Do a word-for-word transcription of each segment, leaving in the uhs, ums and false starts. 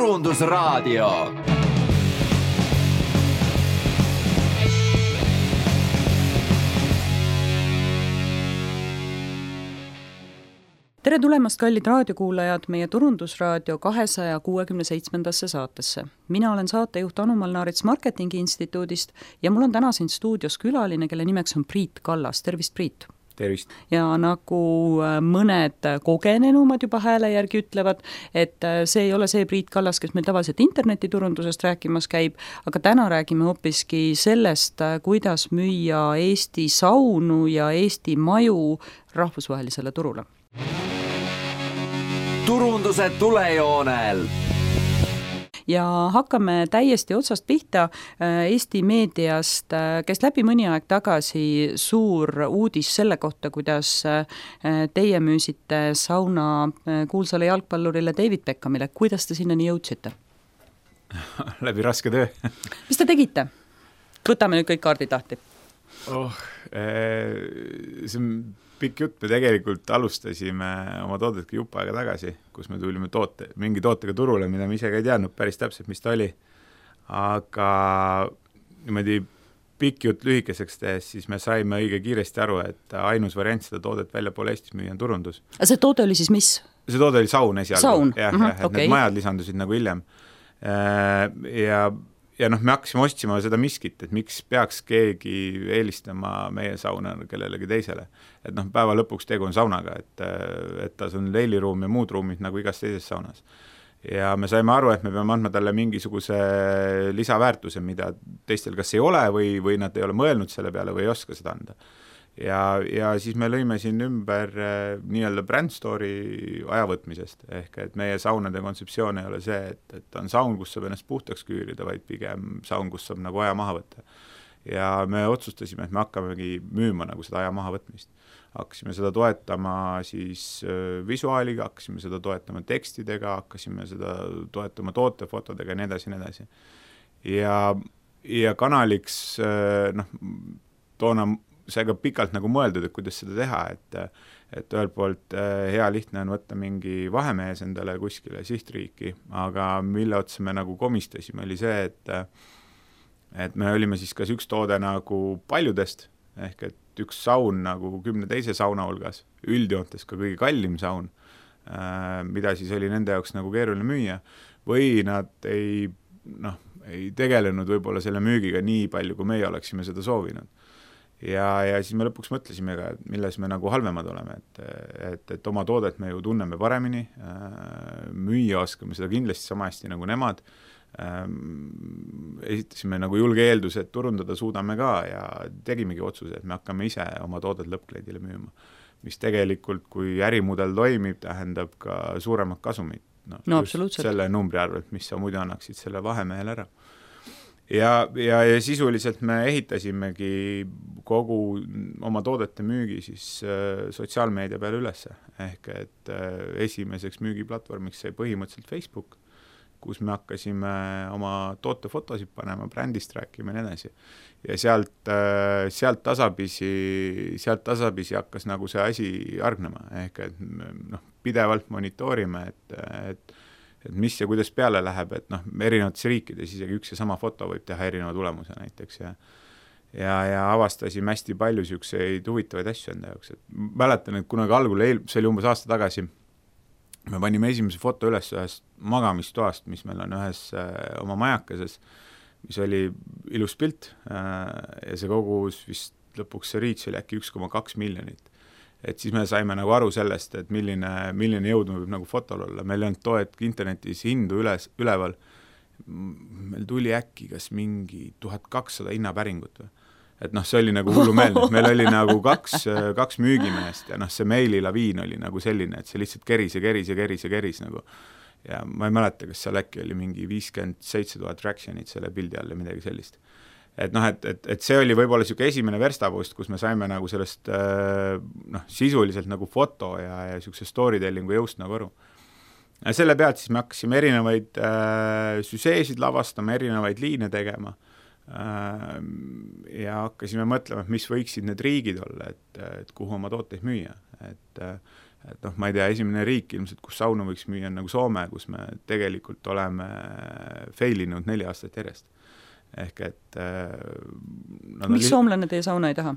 Turundusraadio. Tere tulemast, kallid raadiokuulajad, meie Turundusraadio kahesaja kuuekümne seitsmendasse saatesse. Mina olen saatejuht Anu Malnaarits Marketingi Instituudist ja mul on täna siin stuudios külaline, kelle nimeks on Priit Kallas. Tervist, Priit! Tervist! Ja nagu mõned kogenenumad juba hääle järgi ütlevad, et see ei ole see Priit Kallas, kes meil tavaliselt internetiturundusest rääkimas käib, aga täna räägime hoopiski sellest, kuidas müüa Eesti saunu ja Eesti maju rahvusvahelisele turule. Turunduse tulejoonel. Ja hakkame täiesti otsast pihta Eesti meediast, kes läbi mõni aeg tagasi suur uudis selle kohta, kuidas teie müüsite sauna kuulsale jalgpallurile David Beckhamile. Kuidas te sinnani jõudsite? Läbi raske töö. Mis te tegite? Võtame nüüd kõik kaardid lahti. Oh, ee, see on pikk jutt. Me tegelikult alustasime oma toodetki jupp aega tagasi, kus me tulime toote, mingi tootega turule, mida me ise ka ei teadnud päris täpselt, mis ta oli. Aga niimoodi pikk jutt lühikeseks tehes, siis me saime õige kiiresti aru, et ainus variant seda toodet välja poole Eestis müüa on turundus. A see toode oli siis mis? See toode oli saun esialgu. Saun? Jah, uh-huh, jah, et okay. Need majad lisandusid nagu hiljem. Ja Ja noh, me hakkasime ostsima seda miskit, et miks peaks keegi eelistama meie sauna kellelegi teisele. Et noh, päeva lõpuks tegu on saunaga, et, et ta on leiliruum ja muud ruumid nagu igas teises saunas. Ja me saime aru, et me peame andma talle mingisuguse lisaväärtuse, mida teistel kas ei ole või, või nad ei ole mõelnud selle peale või ei oska seda anda. Ja, ja siis me lõime siin ümber nii-öelda brand story ajavõtmisest, ehk et meie saunade kontseptsioon ei ole see, et, et on saun, kus saab ennast puhtaks küürida, vaid pigem saun, kus saab nagu aja maha võtta. Ja me otsustasime, et me hakkamegi müüma nagu seda aja maha võtmist. Hakkasime seda toetama siis visuaaliga, hakkasime seda toetama tekstidega, hakkasime seda toetama tootefotodega ja nii edasi, nii edasi. Ja, ja kanaliks, noh, toona see ka pikalt nagu mõeldud, et kuidas seda teha, et, et ühelt poolt hea lihtne on võtta mingi vahemees endale kuskile sihtriiki, aga mille otsa me nagu komistasime oli see, et, et me olime siis kas üks toode nagu paljudest, ehk et üks saun nagu kümne teise sauna hulgas, üldjoontes ka kõige kallim saun, mida siis oli nende jaoks nagu keeruline müüa, või nad ei, noh, ei tegelenud võib-olla selle müügiga nii palju, kui meie oleksime seda soovinud. Ja, ja siis me lõpuks mõtlesime ka, milles me nagu halvemad oleme, et, et, et oma toodet me ju tunneme paremini, müüa oskame seda kindlasti sama hästi nagu nemad, esitasime nagu julge eelduse, et turundada suudame ka ja tegimegi otsuse, et me hakkame ise oma toodet lõppkliendile müüma, mis tegelikult, kui ärimudel toimib, tähendab ka suuremat kasumit. No, no absoluutselt. Selle numbri arvelt, mis sa muidu annaksid selle vahemehel ära. Ja, ja, ja sisuliselt me ehitasimegi kogu oma toodete müügi siis äh, sotsiaalmeedia peale ülesse. Ehk et äh, esimeseks müügiplatvormiks sai põhimõtteliselt Facebook, kus me hakkasime oma tootefotosid panema, brändist rääkima ja nii edasi. Ja sealt, äh, sealt, tasapisi, sealt tasapisi hakkas nagu see asi argnema. Ehk et noh, pidevalt monitoorime, et, et et mis ja kuidas peale läheb, et noh, erinevates riikides isegi üks ja sama foto võib teha erineva tulemuse näiteks ja, ja, ja avastasime hästi palju siukseid huvitavaid asju enda jaoks. Et mäletan, et kunagi algul, see oli umbes aasta tagasi, me panime esimese foto üles ühest magamistoast, mis meil on ühes äh, oma majakases, mis oli ilus pilt äh, ja see kogus vist lõpuks see reach oli äkki üks koma kaks miljonit. Et siis me saime nagu aru sellest, et milline, milline jõud võib nagu fotol olla. Meil on toet internetis hindu üles, üleval. Meil tuli äkki kas mingi tuhat kakssada hinnapäringut või. Et noh, see oli nagu hullumeelne. Meil oli nagu kaks, kaks müügimeest ja noh, see meililaviin oli nagu selline, et see lihtsalt keris ja keris ja keris ja keris nagu. Ja ma ei mäleta, kas seal äkki oli mingi viiskümmend seitse tuhat reactionit selle pildi all ja midagi sellist. Et noh, et, et, et see oli võib-olla siuke esimene verstapost, kus me saime nagu sellest noh, sisuliselt nagu foto ja, ja siukse storytellingu jõust nagu aru. Ja selle pealt siis me hakkasime erinevaid äh, süseesid lavastama, erinevaid liine tegema äh, ja hakkasime mõtlema, mis võiksid need riigid olla, et, et kuhu oma tooteid müüa. Et, et noh, ma ei tea, esimene riik ilmselt, kus sauna võiks müüa on nagu Soome, kus me tegelikult oleme failinud neli aastat järjest. Ehk et äh, miks li- soomlane teie sauna ei taha?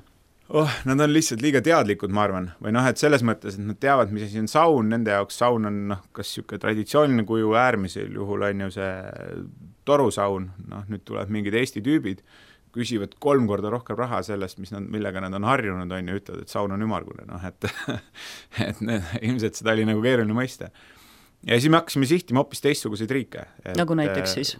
Oh, nad on lihtsalt liiga teadlikud, ma arvan, või noh, et selles mõttes, et nad teavad, mis asi on saun, nende jaoks saun on noh, kas niisugune traditsiooniline kuju, äärmisel juhul on ju see torusaun, noh nüüd tuleb mingid Eesti tüübid, küsivad kolm korda rohkem raha sellest, mis nad, millega nad on harjunud, on ju, ütlevad, et saun on ümmargune, noh et, et need, ilmselt seda oli nagu keeruline mõista. Ja siis me hakkasime sihtima hoopis teistsuguseid riike. Et, nagu näiteks siis?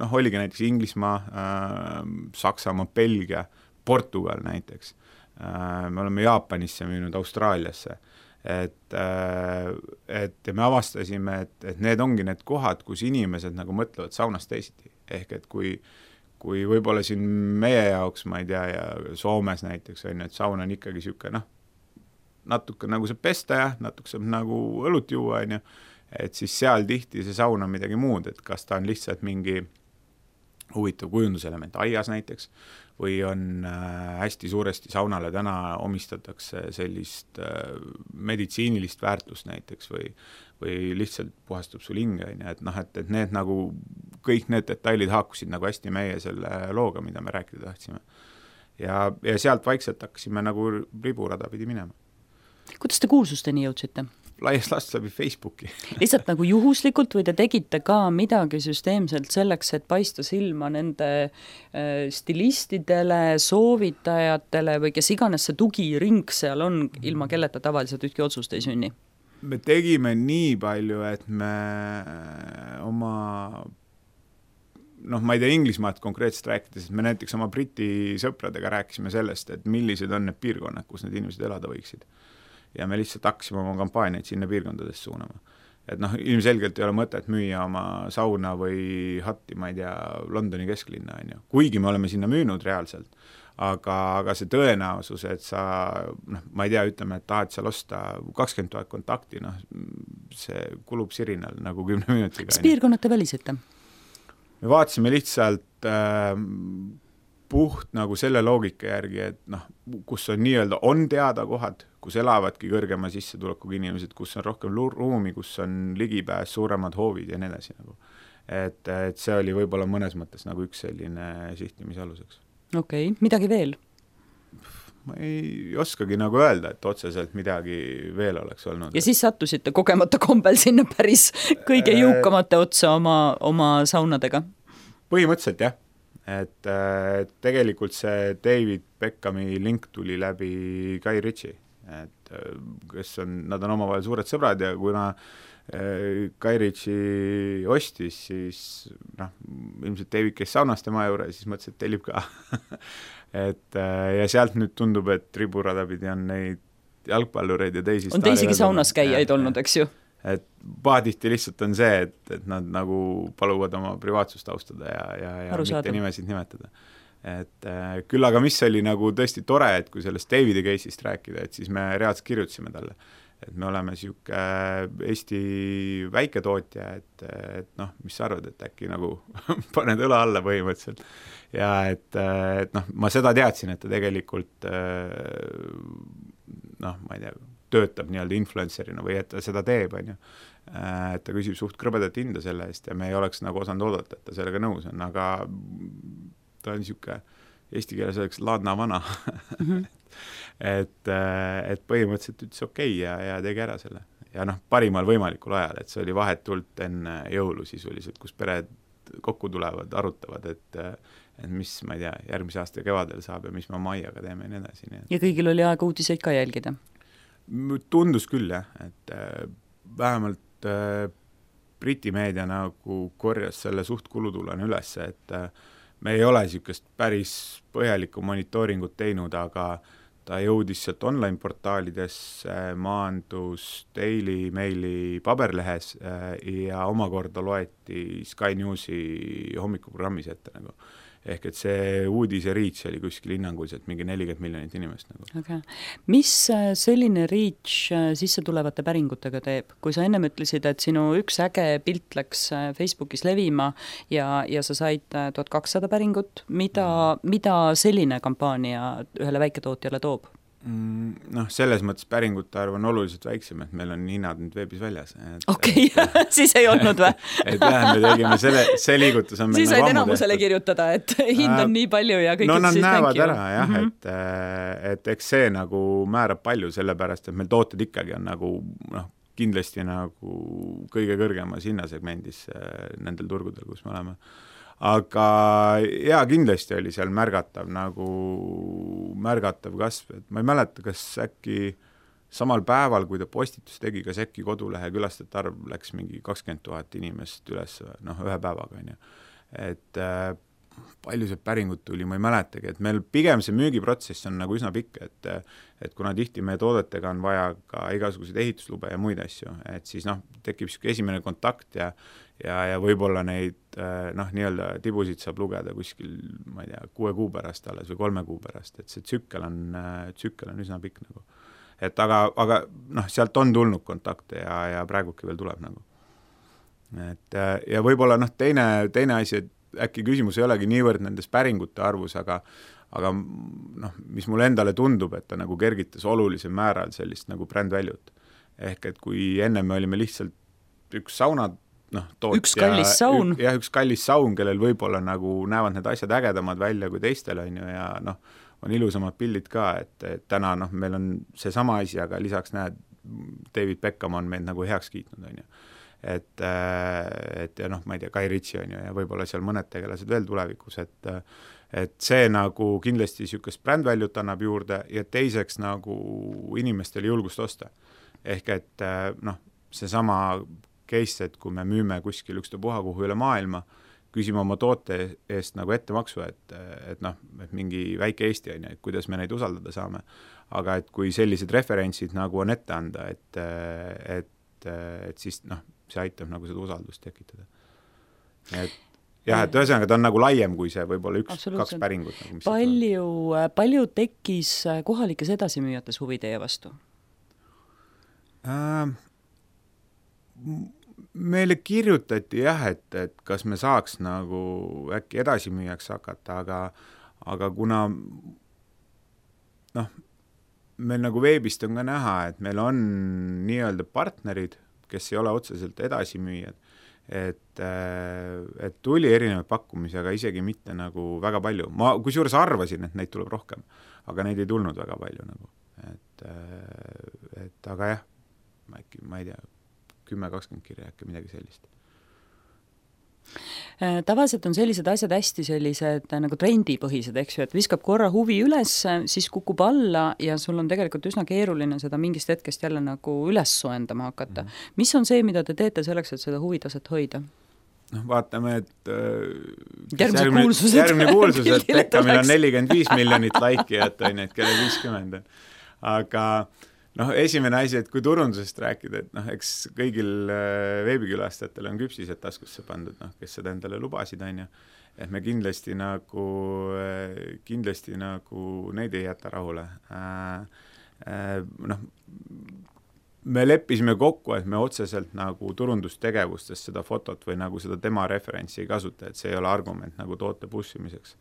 Noh, oligi näiteks Inglismaa, äh, Saksamaa, Belgia, Portugal näiteks. Äh, me oleme Jaapanisse müünud, Austraaliasse. Et, äh, et me avastasime, et, et need ongi need kohad, kus inimesed nagu mõtlevad saunast teisiti. Ehk et kui kui võib-olla siin meie jaoks, ma ei tea, ja Soomes näiteks on, et saun on ikkagi siuke, noh, natuke nagu saab pesta ja natuke saab nagu õlut juua, on ju, et siis seal tihti see saun on midagi muud, et kas ta on lihtsalt mingi huvitav kujunduselement aias näiteks, või on äh, hästi suuresti saunale täna omistatakse sellist äh, meditsiinilist väärtust näiteks või, või lihtsalt puhastab sul hinge, et noh, et, et need nagu, kõik need detailid haakusid nagu hästi meie selle looga, mida me rääkida tahtsime. Ja, ja sealt vaikselt hakkasime nagu riburada pidi minema. Kuidas te kuulsusteni jõudsite? Laias laastus läbi Facebooki. Lihtsalt nagu juhuslikult või te tegite ka midagi süsteemselt selleks, et paista silma nende äh, stilistidele, soovitajatele või kes iganes see tugiring seal on, ilma kelleta tavaliselt ühtki otsust ei sünni? Me tegime nii palju, et me oma, noh, ma ei tea Inglismaad konkreetselt rääkides, et me näiteks oma Briti sõpradega rääkisime sellest, et millised on need piirkonnad, kus need inimesed elada võiksid. Ja me lihtsalt hakkasime oma kampaaniaid sinna piirkondadest suunama. Et noh, ilmselgelt ei ole mõtet müüa oma sauna või hatti, ma ei tea, Londoni kesklinna, on ju. Kuigi me oleme sinna müünud reaalselt, aga, aga see tõenäosus, et sa, noh, ma ei tea, ütleme, et tahad seal osta kakskümmend tuhat kontakti, noh, see kulub sirinal nagu kümne minutiga. Kas piirkonnad te välisite? Me vaatasime lihtsalt äh, puht nagu selle loogika järgi, et noh, kus on nii-öelda on teada kohad, kus elavadki kõrgema sissetulekuga inimesed, kus on rohkem ruumi, kus on ligipääs, suuremad hoovid ja nii edasi nagu. Et, et see oli võib-olla mõnes mõttes nagu üks selline sihtimise aluseks. Okei, okay. Midagi veel? Ma ei oskagi nagu öelda, et otseselt midagi veel oleks olnud. Ja siis sattusite kogemata kombel sinna päris kõige jõukamate otsa oma, oma saunadega? Põhimõtteliselt jah. Et, et tegelikult see David Beckhami link tuli läbi Guy Ritchie, et kes on, nad on omavahel suured sõbrad ja kuna Guy Ritchie ostis, siis noh, ilmselt David käis saunas tema juurde ja siis mõtles, et tellib ka. et ja sealt nüüd tundub, et riburadapidi on neid jalgpallureid ja teisi on teisigi saunas käijaid ja, olnud, eks ju? Et paadihti lihtsalt on see, et, et nad nagu paluvad oma privaatsust austada ja, ja, ja mitte nimesid nimetada. Et äh, küll aga mis oli nagu tõesti tore, et kui sellest Davide case'ist rääkida, et siis me reaalselt kirjutasime talle, et me oleme siuke Eesti väiketootja, et, et noh, mis sa arvad, et äkki nagu paned õla alla põhimõtteliselt. Ja et, et noh, ma seda teadsin, et ta tegelikult noh, ma ei tea, töötab nii-öelda influencerina või et ta seda teeb, on ju. Et ta küsib suht krõbedat hinda selle eest ja me ei oleks nagu osanud oodata, et ta sellega nõus on, aga ta on niisugune eesti keeles oleks laadna vana. Mm-hmm. et, et põhimõtteliselt ütles okei ja, ja tegi ära selle. Ja noh, parimal võimalikul ajal, et see oli vahetult enne jõulu sisuliselt, kus pered kokku tulevad, arutavad, et, et mis, ma ei tea, järgmise aasta kevadel saab ja mis me oma aiaga teeme ja nii edasi. Nii et... Ja kõigil oli aega uudiseid ka jälgida? Tundus küll, jah, et äh, vähemalt äh, Briti meedia nagu korjas selle suht kulutulene üles, et äh, me ei ole niisugust päris põhjalikku monitooringut teinud, aga ta jõudis sealt online-portaalidesse, maandus Daily Maili paberlehes äh, ja omakorda loeti Sky Newsi hommikuprogrammis ette nagu. Ehk et see uudise reach oli kuskil hinnanguliselt mingi nelikümmend miljonit inimest. Nagu. Okay. Mis selline reach sisse tulevate päringutega teeb? Kui sa ennem ütlesid, et sinu üks äge pilt läks Facebookis levima ja, ja sa said tuhat kakssada päringut, mida, mida selline kampaania ühele väiketootjale toob? Noh, selles mõttes päringute arv on oluliselt väiksem, et meil on hinnad nüüd veebis väljas. Okei, okay. Siis ei olnud või? Et vähem me tegime selle, see liigutus on meil siis nagu said enamusele kirjutada, et hind on nii palju ja kõik no nad siis näevad ära, jah, mm -hmm. et, et eks see nagu määrab palju, sellepärast, et meil tooted ikkagi on nagu noh, kindlasti nagu kõige kõrgemas hinnasegmendis nendel turgudel, kus me oleme. Aga jaa, kindlasti oli seal märgatav nagu märgatav kasv, et ma ei mäleta, kas äkki samal päeval, kui ta postitus tegi, kas äkki kodulehe külastajate arv läks mingi kakskümmend tuhat inimest üles, noh, ühe päevaga, on ju. Et äh, palju see päringut tuli, ma ei mäletagi, et meil pigem see müügiprotsess on nagu üsna pikk, et, et kuna tihti meie toodetega on vaja ka igasuguseid ehituslube ja muid asju, et siis noh, tekib siuke esimene kontakt ja ja, ja võib-olla neid noh, nii-öelda tibusid saab lugeda kuskil, ma ei tea, kuue kuu pärast alles või kolme kuu pärast, et see tsükkel on, tsükkel on üsna pikk nagu. Et aga, aga noh, sealt on tulnud kontakte ja, ja praeguki veel tuleb nagu. Et ja võib-olla noh, teine, teine asi, et äkki küsimus ei olegi niivõrd nendes päringute arvus, aga, aga noh, mis mulle endale tundub, et ta nagu kergitas olulisel määral sellist nagu brändväljut. Ehk et kui enne me olime lihtsalt üks saunad, noh, toot üks kallis ja, saun. Ja üks kallis saun, kellel võib-olla nagu näevad need asjad ägedamad välja kui teistel, on ju, ja noh, on ilusamad pildid ka, et, et täna noh, meil on see sama asi, aga lisaks näed, David Beckham on meid nagu heaks kiitnud, on ju. Et, et ja noh, ma ei tea, Kai Ritsi on ju, ja võib-olla seal mõned tegelased veel tulevikus, et, et see nagu kindlasti niisugust brändväljut annab juurde ja teiseks nagu inimestele julgust osta. Ehk et noh, see sama case, et kui me müüme kuskil ükstapuha kuhu üle maailma, küsime oma toote eest nagu ettemaksu, et, et noh, et mingi väike Eesti on, et kuidas me neid usaldada saame. Aga et kui sellised referentsid nagu on ette anda, et, et, et siis noh, see aitab nagu seda usaldust tekitada. Et jah, et ühesõnaga ta on nagu laiem kui see võib-olla üks, kaks päringut. Nagu, palju, palju tekkis kohalikes edasimüüjates huvi teie vastu? Äh, meile kirjutati jah, et, et kas me saaks nagu äkki edasimüüjaks hakata, aga, aga kuna noh, meil nagu veebist on ka näha, et meil on nii-öelda partnerid, kes ei ole otseselt edasimüüjad, et, et tuli erinevaid pakkumisi, aga isegi mitte nagu väga palju. Ma kusjuures arvasin, et neid tuleb rohkem, aga neid ei tulnud väga palju nagu. Et, et aga jah, ma, äkki, ma ei tea, kümme kakskümmend kirja äkki midagi sellist. Tavaliselt on sellised asjad hästi sellised nagu trendipõhised, eks ju, et viskab korra huvi üles, siis kukub alla ja sul on tegelikult üsna keeruline seda mingist hetkest jälle nagu üles soendama hakata. Mm. Mis on see, mida te teete selleks, et seda huvitaset hoida? noh, vaatame, et järgmine kuulsused, järgmine kuulsus, et Beckhamil on nelikümmend viis miljonit laikijat, on, et kelle viiskümmend on. Aga noh, esimene asi, et kui turundusest rääkida, et noh, eks kõigil veebikülastajatel on küpsised taskusse pandud, noh, kes seda endale lubasid, on ju. Et me kindlasti nagu, kindlasti nagu neid ei jäta rahule. Noh, me leppisime kokku, et me otseselt nagu turundustegevustest seda fotot või nagu seda tema referentsi ei kasuta, et see ei ole argument nagu toote pussimiseks.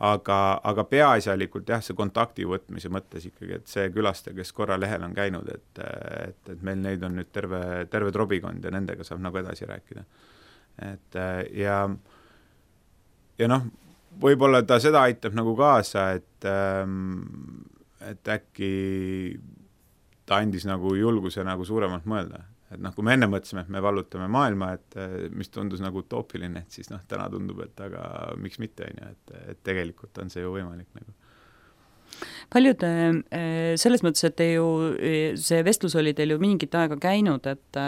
Aga, aga peaasjalikult jah, see kontakti võtmise mõttes ikkagi, et see külastaja, kes korra lehel on käinud, et, et, et meil neid on nüüd terve, terve trobikond ja nendega saab nagu edasi rääkida. Et ja, ja noh, võib-olla ta seda aitab nagu kaasa, et, et äkki ta andis nagu julguse nagu suuremalt mõelda. Et noh, kui me enne mõtlesime, et me vallutame maailma, et mis tundus nagu utoopiline, et siis noh, täna tundub, et aga miks mitte, et, et tegelikult on see ju võimalik nagu. Paljud, selles mõttes, et te ju, see vestlus oli teil ju mingit aega käinud, et,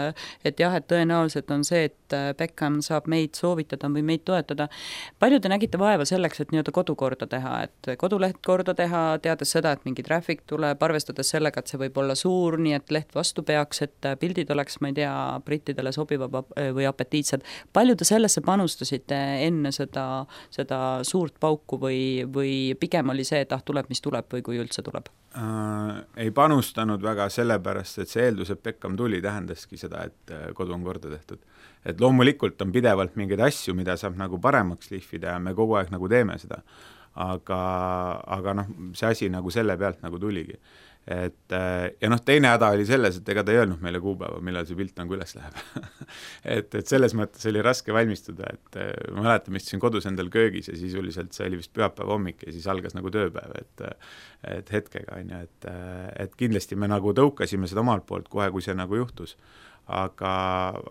et jah, et tõenäoliselt on see, et Beckham saab meid soovitada või meid toetada. Palju te nägite vaeva selleks, et nii-öelda kodu korda teha, et koduleht korda teha, teades seda, et mingi traffic tuleb, arvestades sellega, et see võib olla suur, nii et leht vastu peaks, et pildid oleks, ma ei tea, brittidele sobiva või apetiitsed. Palju te sellesse panustasite enne seda, seda suurt pauku või, või pigem oli see, et ah, tuleb, mis tuleb või kui üldse tuleb? Äh, ei panustanud väga sellepärast, et see eeldus, et Beckham tuli, tähendaski seda, et kodu on korda tehtud. Et loomulikult on pidevalt mingeid asju, mida saab nagu paremaks lihvida ja me kogu aeg nagu teeme seda. Aga, aga noh, see asi nagu selle pealt nagu tuligi. et ja noh, teine häda oli selles, et ega ta ei öelnud meile kuupäeva, millal see pilt nagu üles läheb et, et selles mõttes oli raske valmistuda, et ma mäletan, ma istusin kodus endal köögis ja sisuliselt see oli vist pühapäeva hommik ja siis algas nagu tööpäev, et, et hetkega on ju, et, et kindlasti me nagu tõukasime seda omalt poolt kohe, kui see nagu juhtus. Aga,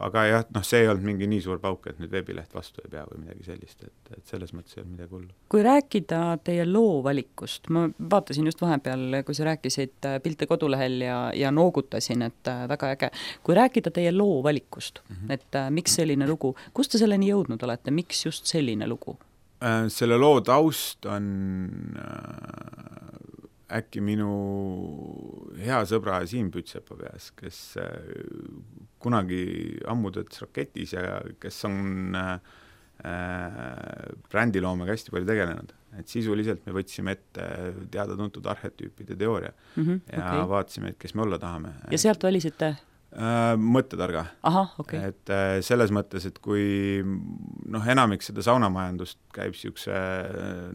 aga jah, noh, see ei olnud mingi nii suur pauk, et nüüd veebileht vastu ei pea või midagi sellist, et, et selles mõttes ei olnud midagi hullu. Kui rääkida teie loo valikust, ma vaatasin just vahepeal, kui sa rääkisid pilte kodulehel ja, ja noogutasin, et väga äge. Kui rääkida teie loo valikust, mm-hmm. et miks selline lugu, kust te selleni jõudnud olete, miks just selline lugu? Selle loo taust on äkki minu hea sõbra Siim Pütsepa peas, kes kunagi ammu töötas Raketis ja kes on äh, brändiloomega hästi palju tegelenud. Et sisuliselt me võtsime ette teada-tuntud arhetüüpide teooria mm-hmm, ja okay. vaatasime, et kes me olla tahame. Ja sealt valisite? Äh, mõttetarga. Aha, okay. Et äh, selles mõttes, et kui noh, enamik seda saunamajandust käib siukse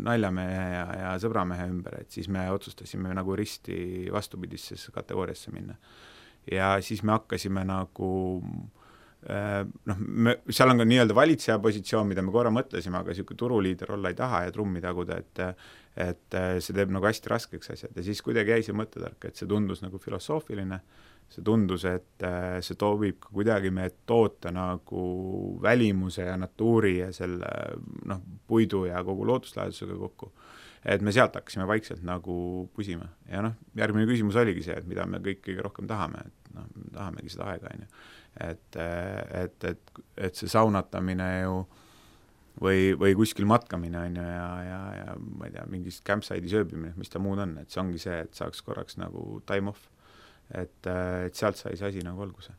naljamehe ja, ja sõbramehe ümber, et siis me otsustasime nagu risti vastupidisse kategooriasse minna. Ja siis me hakkasime nagu äh, noh, me, seal on ka nii-öelda valitseja positsioon, mida me korra mõtlesime, aga siuke turuliider olla ei taha ja trummi taguda, et, et see teeb nagu hästi raskeks asjad ja siis kuidagi jäi see mõttetark, et see tundus nagu filosoofiline. See tundus, et see toobib ka kuidagi meie toota nagu välimuse ja natuuri ja selle noh, puidu ja kogu looduslaadusega kokku. Et me sealt hakkasime vaikselt nagu pusima. Ja noh, järgmine küsimus oligi see, et mida me kõik kõige rohkem tahame, et noh, tahamegi seda aega. Et, et, et, et see saunatamine ju või, või kuskil matkamine on ju, ja, ja, ja ma ei tea, mingist campsite'i sööbimine, mis ta muud on, et see ongi see, et saaks korraks nagu time off. Et, et sealt sai see asi nagu alguse.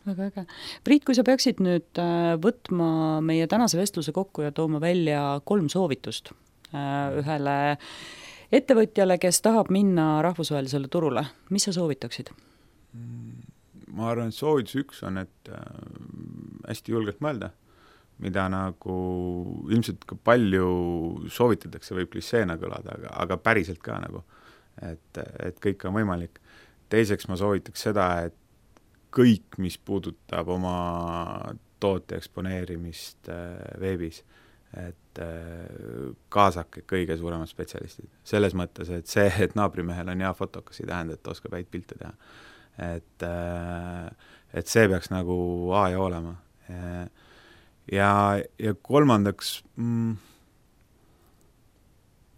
Väga äge. Priit, kui sa peaksid nüüd võtma meie tänase vestluse kokku ja tooma välja kolm soovitust ühele ettevõtjale, kes tahab minna rahvusvahelisele turule, mis sa soovitaksid? Ma arvan, et soovitus üks on, et hästi julgelt mõelda, mida nagu ilmselt ka palju soovitatakse, võib kliseena kõlada, aga, aga päriselt ka nagu, et, et kõik on võimalik. Teiseks ma soovitaks seda, et kõik, mis puudutab oma toote eksponeerimist veebis, et kaasake kõige suuremad spetsialistid. Selles mõttes, et see, et naabrimehel on hea fotokas, ei tähenda, et ta oskab häid pilte teha. Et, et see peaks nagu A ja olema. Ja, ja kolmandaks, mm,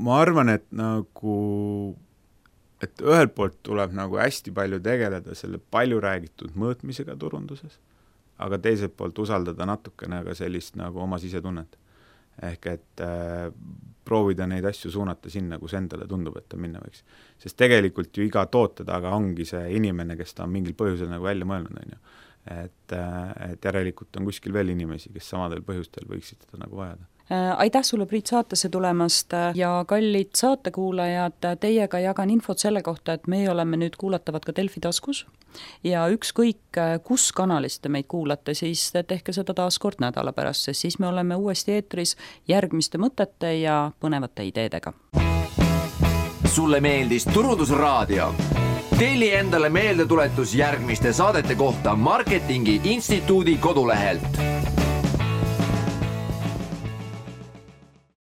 ma arvan, et nagu et ühelt poolt tuleb nagu hästi palju tegeleda selle palju räägitud mõõtmisega turunduses, aga teiselt poolt usaldada natukene ka sellist nagu oma sisetunnet. Ehk et äh, proovida neid asju suunata sinna, kus endale tundub, et ta minna võiks. Sest tegelikult ju iga toote taga ongi see inimene, kes ta on mingil põhjusel nagu välja mõelnud, on ju. Et, äh, et järelikult on kuskil veel inimesi, kes samadel põhjustel võiksid seda nagu vajada. Aitäh sulle, Priit, saatesse tulemast ja kallid saatekuulajad, teiega jagan infot selle kohta, et meie oleme nüüd kuulatavad ka Delfi taskus ja ükskõik, kus kanalist te meid kuulate, siis tehke seda taas kord nädala pärast, sest siis me oleme uuesti eetris järgmiste mõtete ja põnevate ideedega. Sulle meeldis Turundusraadio? Telli endale meeldetuletus järgmiste saadete kohta Marketingi Instituudi kodulehelt.